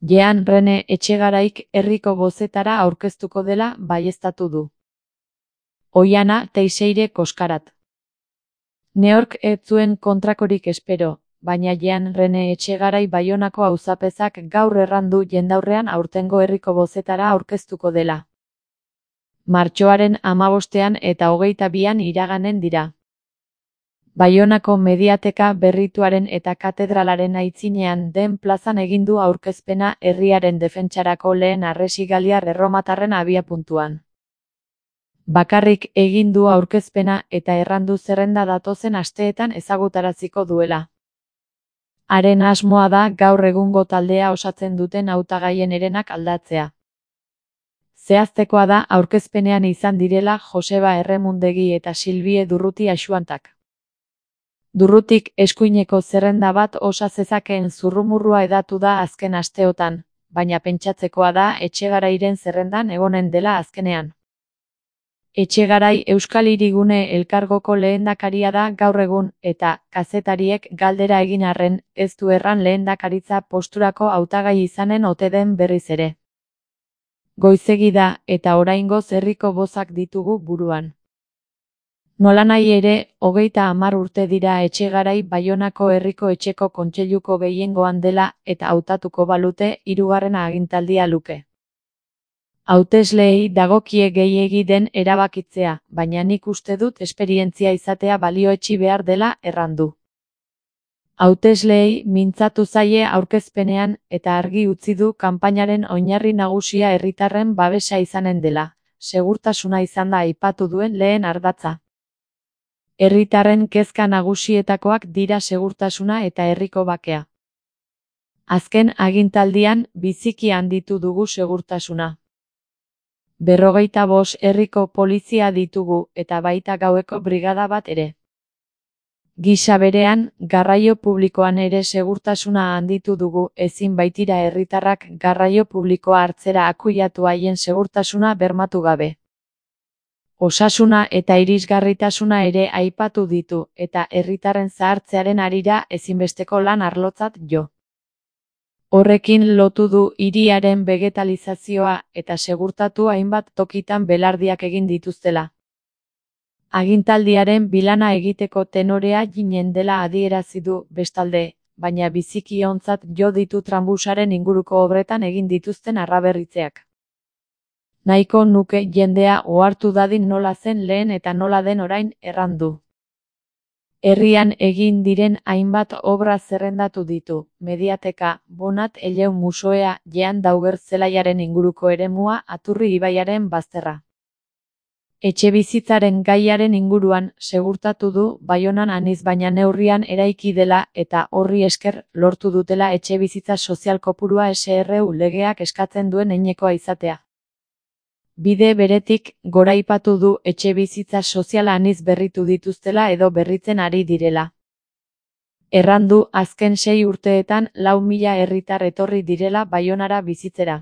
Jean Rene Etxegaraik herriko bozetara aurkeztuko dela baieztatu du. Oihana Teixeire Koskarat. Neork ez zuen kontrakorik espero, baina Jean Rene Etxegarai Baionako auzapezak gaur errandu jendaurrean aurtengo herriko bozetara aurkeztuko dela. Martxoaren 15 eta 22 iraganen dira. Baionako mediateka berrituaren eta katedralaren aitzinean den plazan egin du aurkezpena herriaren defentsarako lehen harresigaliar erromatarren abiapuntuan. Bakarrik egin du aurkezpena eta errandu zerrenda datozen asteetan ezagutaraziko duela. Haren asmoa da gaur egungo taldea osatzen duten hautagaien herenak aldatzea. Zehaztekoa da aurkezpenean izan direla Joseba Erremundegi eta Silbie Durruti Axuantak. Durrutik eskuineko zerrenda bat osa zezakeen zurrumurrua hedatu da azken asteotan, baina pentsatzekoa da Etxegarairen zerrendan egonen dela azkenean. Etxegarai Euskal Hirigune elkargoko lehendakaria da gaur egun eta kazetariek galdera egin arren ez du erran lehendakaritza posturako hautagai izanen ote den berriz ere. Goizegi da eta oraingoz herriko bozak ditugu buruan. Nolanahi ere, 30 urte dira Etxegarai Baionako herriko etxeko kontseiluko gehiengoan dela eta hautatuko balute 3. agintaldia luke. Hautesleei dagokie gehiegi den erabakitzea, baina nik uste dut esperientzia izatea balioetsi behar dela errandu. Hautesleei mintzatu zaie aurkezpenean eta argi utzi du kanpainaren oinarri nagusia herritarren babesa izanen dela, segurtasuna izan da aipatu duen lehen ardatza. Herritarren kezka nagusietakoak dira segurtasuna eta herriko bakea. Azken agintaldian biziki handitu dugu segurtasuna. 45 herriko polizia ditugu eta baita gaueko brigada bat ere. Gisa berean, garraio publikoan ere segurtasuna handitu dugu, ezin baitira herritarrak garraio publikoa hartzera akuiatu haien segurtasuna bermatu gabe. Osasuna eta irisgarritasuna ere aipatu ditu eta herritarren zahartzearen harira ezinbesteko lan arlotzat jo. Horrekin lotu du hiriaren vegetalizazioa eta segurtatu hainbat tokitan belardiak egin dituztela. Agintaldiaren bilana egiteko tenorea ginen dela adierazi du bestalde, baina biziki ontzat jo ditu tranbusaren inguruko obretan egin dituzten arraberritzeak. Nahiko nuke jendea ohartu dadin nola zen lehen eta nola den orain errandu. Herrian egin diren hainbat obra zerrendatu ditu, mediateka, Bonat Eleu musoea, Jean Dauger zelaiaren inguruko eremua, Aturri ibaiaren bazterra. Etxebizitzaren gaiaren inguruan segurtatu du Baionan aniz baina neurrian eraiki dela eta horri esker lortu dutela etxebizitza sozial kopurua SRU legeak eskatzen duen heinekoa izatea. Bide beretik, goraipatu du etxebizitza soziala aniz berritu dituztela edo berritzen ari direla. Errandu azken 6 urteetan 4.000 herritar etorri direla Baionara bizitzera.